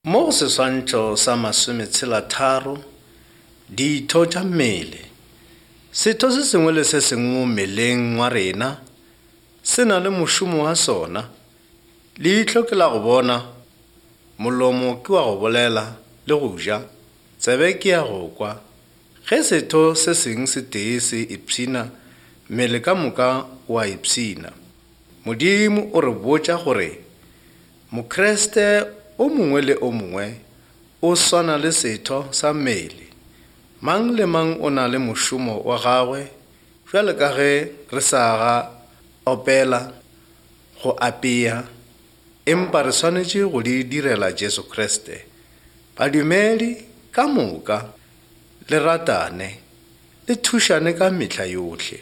Mo go seswantšho sa masometshelatharo, ditho tša mmele. Setho se sengwe le se sengwe mo mmeleng wa rena se na le mošomo wa sona. Leihlo ke la go bona, molomo ke wa go bolela le go ja, tsebe ke ya go kwa. Ge setho se seng se tee se ipshina, mmele ka moka o a ipshina. Modimo o re botša gore Mokriste o mongwe le o mongwe o swana le setho sa mmele. Mang le mang o na le mošomo wa gagwe bjalo ka ge re sa ga opela, go apea, empa re swanetše go di direla Jesu Kriste. Badumedi ka moka le ratane, le thušane ka mehla yohle.